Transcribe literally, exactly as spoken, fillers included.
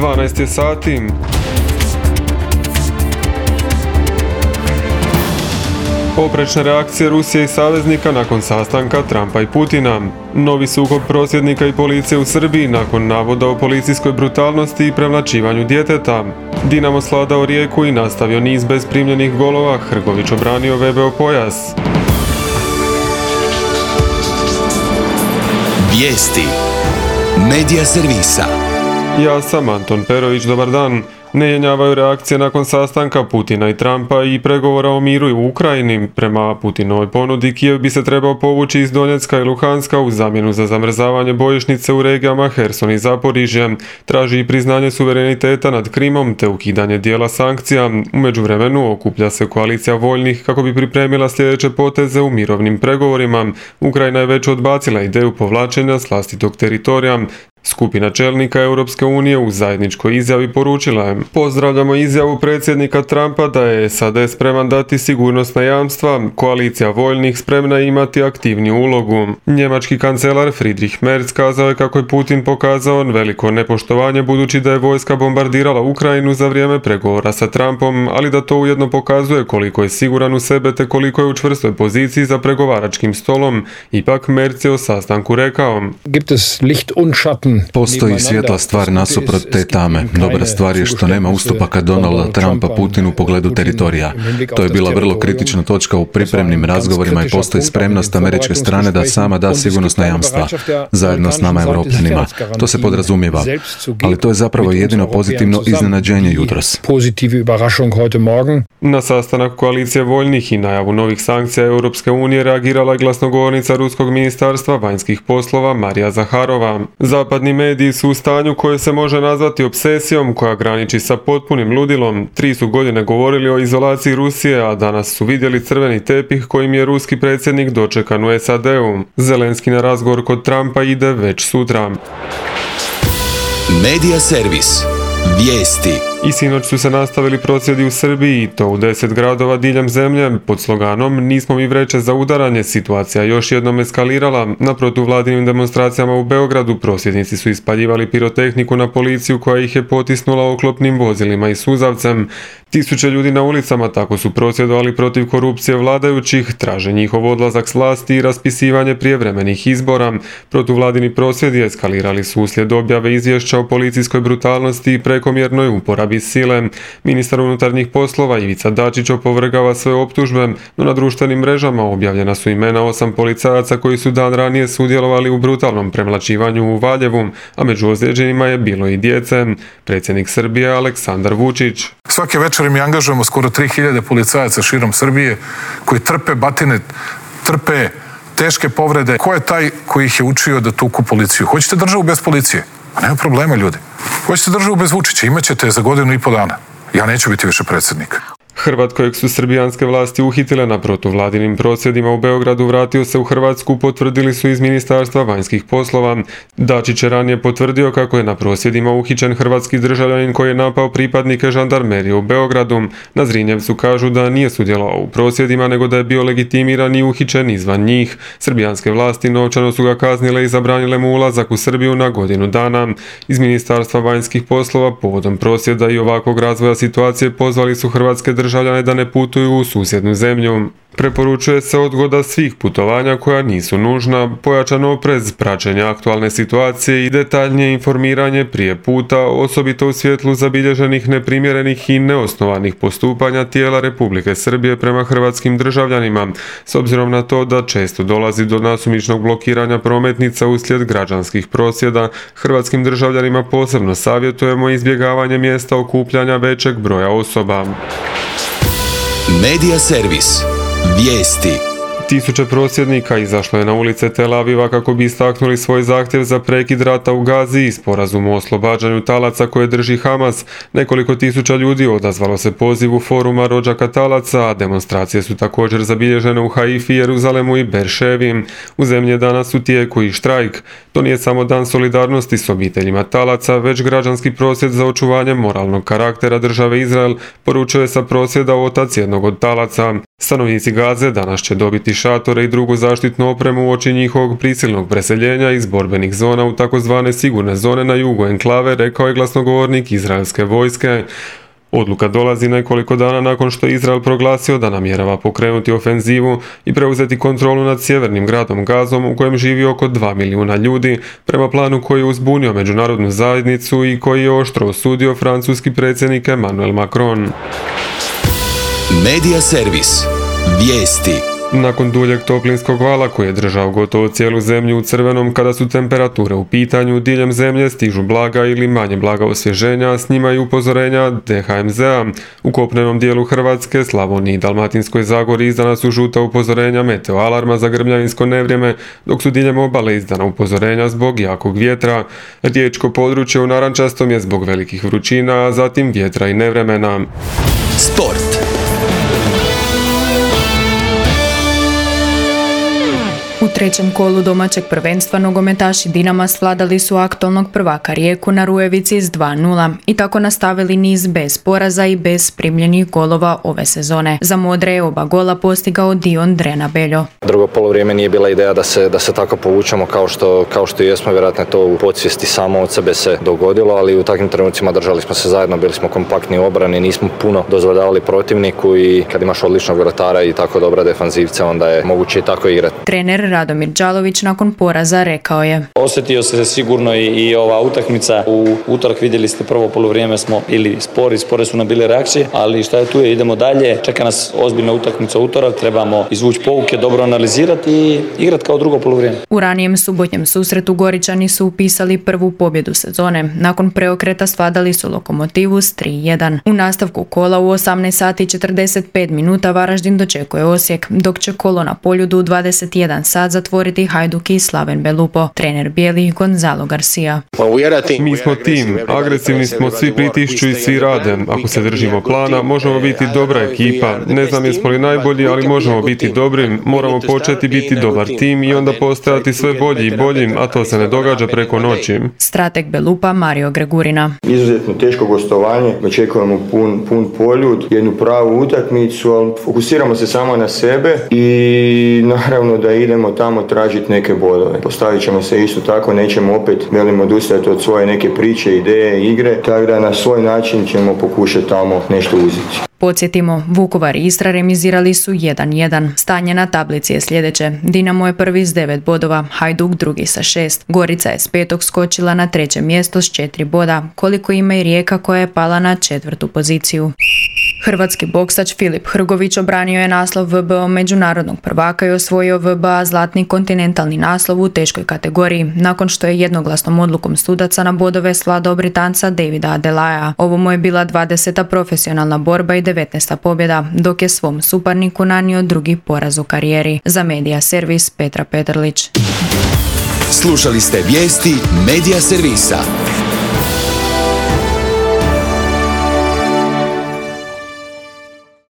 dvanaest je sati. Oprečne reakcije Rusije i saveznika nakon sastanka Trumpa i Putina. Novi sukob prosvjednika i policije u Srbiji nakon navoda o policijskoj brutalnosti i premlaćivanju djeteta. Dinamo svladao Rijeku i nastavio niz bez primljenih golova, Hrgović obranio V B O pojas. Vijesti Medija servisa. Ja sam Anton Perović, dobar dan. Ne jenjavaju reakcije nakon sastanka Putina i Trumpa i pregovora o miru u Ukrajini. Prema Putinovoj ponudi, Kijev bi se trebao povući iz Donjecka i Luhanska u zamjenu za zamrzavanje bojišnice u regijama Herson i Zaporižje. Traži i priznanje suvereniteta nad Krimom te ukidanje dijela sankcija. U međuvremenu okuplja se koalicija voljnih kako bi pripremila sljedeće poteze u mirovnim pregovorima. Ukrajina je već odbacila ideju povlačenja s vlastitog teritorija. Skupina čelnika Europske unije u zajedničkoj izjavi poručila je: pozdravljamo izjavu predsjednika Trumpa da je S A D spreman dati sigurnosna jamstva, koalicija voljnih spremna je imati aktivniju ulogu. Njemački kancelar Friedrich Merz kazao je kako je Putin pokazao veliko nepoštovanje budući da je vojska bombardirala Ukrajinu za vrijeme pregovora sa Trumpom, ali da to ujedno pokazuje koliko je siguran u sebe te koliko je u čvrstoj poziciji za pregovaračkim stolom. Ipak Merz je o sastanku rekao: Gibt es Licht und Schatten. Postoji svjetla stvar nasuprot te tame. Dobra stvar je što nema ustupaka Donalda Trumpa Putinu u pogledu teritorija. To je bila vrlo kritična točka u pripremnim razgovorima i postoji spremnost američke strane da sama da sigurnosna jamstva zajedno s nama Europljanima. To se podrazumijeva, ali to je zapravo jedino pozitivno iznenađenje jutros. Na sastanak koalicije voljnih i najavu novih sankcija Europske unije reagirala je glasnogovornica Ruskog ministarstva vanjskih poslova Marija Zaharova. Zapadni mediji su u stanju koje se može nazvati obsesijom koja graniči sa potpunim ludilom. Tri su godine govorili o izolaciji Rusije, a danas su vidjeli crveni tepih kojim je ruski predsjednik dočekan u S A D-u. Zelenski na razgovor kod Trumpa ide već sutra. Medija servis. Vijesti. I sinoć su se nastavili prosvjedi u Srbiji, i to u deset gradova diljem zemlje, pod sloganom "Nismo mi vreće za udaranje". Situacija još jednom eskalirala. Na protuvladinim demonstracijama u Beogradu prosvjednici su ispaljivali pirotehniku na policiju koja ih je potisnula oklopnim vozilima i suzavcem. Tisuće ljudi na ulicama tako su prosvjedovali protiv korupcije vladajućih, traže njihov odlazak s vlasti i raspisivanje prijevremenih izbora. Protuvladini prosvjedi eskalirali su uslijed objave izvješća o policijskoj brutalnosti i prekomjernoj uporabi sile. Ministar unutarnjih poslova Ivica Dačić opovrgava sve optužbe, no na društvenim mrežama objavljena su imena osam policajaca koji su dan ranije sudjelovali u brutalnom premlaćivanju u Valjevu, a među ozlijeđenima je bilo i djece. Predsjednik Srbije Aleksandar Vučić: svake večeri mi angažujemo skoro tri hiljade policajaca širom Srbije koji trpe batine, trpe teške povrede. Ko je taj koji ih je učio da tuku policiju? Hoćete državu bez policije? A nema problema, ljudi. Hoćete državu bez Vučića? Imaćete je za godinu i po dana. Ja neću biti više predsjednik. Hrvat kojeg su srbijanske vlasti uhitile na protuvladinim prosvjedima u Beogradu vratio se u Hrvatsku, potvrdili su iz Ministarstva vanjskih poslova. Dačić je ranije potvrdio kako je na prosvjedima uhićen hrvatski državljanin koji je napao pripadnike žandarmerije u Beogradu. Na Zrinjevcu kažu da nije sudjelovao u prosvjedima, nego da je bio legitimiran i uhićen izvan njih. Srbijanske vlasti novčano su ga kaznile i zabranile mu ulazak u Srbiju na godinu dana. Iz Ministarstva vanjskih poslova povodom prosvjeda i ovakvog razvoja situacije pozvali su hrvatske državljane da ne putuju u susjednu zemlju. Preporučuje se odgoda svih putovanja koja nisu nužna, pojačan oprez, praćenje aktualne situacije i detaljnije informiranje prije puta, osobito u svjetlu zabilježenih neprimjerenih i neosnovanih postupanja tijela Republike Srbije prema hrvatskim državljanima, s obzirom na to da često dolazi do nasumičnog blokiranja prometnica uslijed građanskih prosvjeda. Hrvatskim državljanima posebno savjetujemo izbjegavanje mjesta okupljanja većeg broja osoba. Medija servis. Vijesti. Tisuće prosvjednika izašlo je na ulice Tel Aviva kako bi istaknuli svoj zahtjev za prekid rata u Gazi i sporazum o oslobađanju talaca koje drži Hamas. Nekoliko tisuća ljudi odazvalo se pozivu foruma rođaka talaca, a demonstracije su također zabilježene u Haifi, Jeruzalemu i Berševi. U zemlji je danas u tijeku i štrajk. To nije samo dan solidarnosti s obiteljima talaca, već građanski prosvjed za očuvanje moralnog karaktera države Izrael, poručuje sa prosvjeda otac jednog od talaca. Stanovnici Gaze danas će dobiti šatore i drugu zaštitnu opremu uoči njihovog prisilnog preseljenja iz borbenih zona u takozvane sigurne zone na jugu enklave, rekao je glasnogovornik izraelske vojske. Odluka dolazi nekoliko dana nakon što je Izrael proglasio da namjerava pokrenuti ofenzivu i preuzeti kontrolu nad sjevernim gradom Gazom u kojem živi oko dva milijuna ljudi, prema planu koji je uzbunio međunarodnu zajednicu i koji je oštro osudio francuski predsjednik Emmanuel Macron. Medija servis. Vijesti. Nakon duljeg toplinskog vala koji je držao gotovo cijelu zemlju u crvenom, kada su temperature u pitanju, diljem zemlje stižu blaga ili manje blaga osvježenja, s njima i upozorenja D H M Z-a. U kopnenom dijelu Hrvatske, Slavoniji i Dalmatinskoj Zagori izdana su žuta upozorenja meteo alarma za grmljavinsko nevrijeme, dok su diljem obale izdana upozorenja zbog jakog vjetra. Riječko područje u narančastom je zbog velikih vrućina, a zatim vjetra i nevremena. Sport. U trećem kolu domaćeg prvenstva nogometaši Dinama svladali su aktualnog prvaka Rijeku na Rujevici s dva nula i tako nastavili niz bez poraza i bez primljenih golova ove sezone. Za modre je oba gola postigao Dion Drenabeljo. Drugo polovrijeme nije bila ideja da se, da se tako povučemo kao što, kao što jesmo, vjerojatno to u podsvijesti samo od sebe se dogodilo, ali u takvim trenucima držali smo se zajedno, bili smo kompaktni u obrani, nismo puno dozvoljavali protivniku i kad imaš odličnog vratara i tako dobra defanzivca, onda je moguće i tako igrati. Trener Radomir Đalović nakon poraza rekao je: Osjetio se sigurno i, i ova utakmica. U utorak vidjeli ste prvo poluvrijeme smo ili spori, spore su nam bile reakcije, ali šta je tu je, idemo dalje. Čeka nas ozbiljna utakmica utorak, trebamo izvući pouke, dobro analizirati i igrati kao drugo poluvrijeme. U ranijem subotnjem susretu Goričani su upisali prvu pobjedu sezone. Nakon preokreta svladali su Lokomotivu s tri jedan. U nastavku kola u osamnaest sati i četrdeset pet minuta Varaždin dočekuje Osijek, dok će kolo na Poljudu u dvadeset jedan sat zatvoriti Hajduk i Slaven Belupo. Trener bijelih Gonzalo Garcia. Mi smo tim, agresivni smo, svi pritišću i svi rade. Ako se držimo plana, možemo biti dobra ekipa. Ne znam jesmo li najbolji, ali možemo biti dobri. Moramo početi biti dobar tim i onda postajati sve bolji i boljim, a to se ne događa preko noći. Strateg Belupa Mario Gregurina. Izuzetno teško gostovanje, očekujemo pun, pun Poljud, jednu pravu utakmicu, ali fokusiramo se samo na sebe i naravno da idemo tamo tražiti neke bodove. Postavit ćemo se isto tako, nećemo opet velimo odustajati od svoje neke priče, ideje, igre, tako da na svoj način ćemo pokušati tamo nešto uzeti. Podsjetimo, Vukovar i Istra remizirali su jedan jedan. Stanje na tablici je sljedeće. Dinamo je prvi s devet bodova, Hajduk drugi sa šest. Gorica je s petog skočila na treće mjesto s četiri boda, koliko ima i Rijeka koja je pala na četvrtu poziciju. Hrvatski boksač Filip Hrgović obranio je naslov V B O međunarodnog prvaka i osvojio V B A zlatni kontinentalni naslov u teškoj kategoriji, nakon što je jednoglasnom odlukom sudaca na bodove svladao Britanca Davida Adelaja. Ovo mu je bila dvadeseta profesionalna borba i devetnaesta pobjeda, dok je svom suparniku nanio drugi poraz u karijeri. Za Medija servis Petra Petrlić. Slušali ste vijesti Medija servisa.